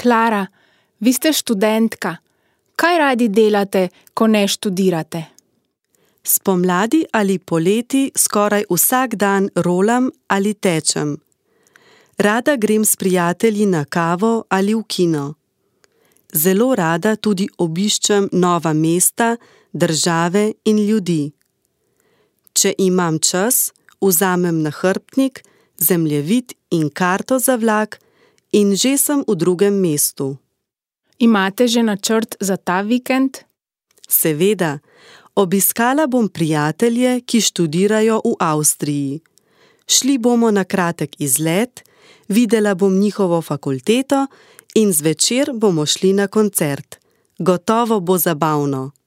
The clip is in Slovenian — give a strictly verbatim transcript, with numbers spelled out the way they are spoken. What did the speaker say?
Klara, vi ste študentka. Kaj radi delate, ko ne študirate? Spomladi ali poleti skoraj vsak dan rolam ali tečem. Rada grem s prijatelji na kavo ali v kino. Zelo rada tudi obiščem nova mesta, države in ljudi. Če imam čas, vzamem nahrbtnik, zemljevid in karto za vlak in že sem v drugem mestu. Imate že načrt za ta vikend? Seveda, obiskala bom prijatelje, ki študirajo v Avstriji. Šli bomo na kratek izlet, videla bom njihovo fakulteto in zvečer bomo šli na koncert. Gotovo bo zabavno.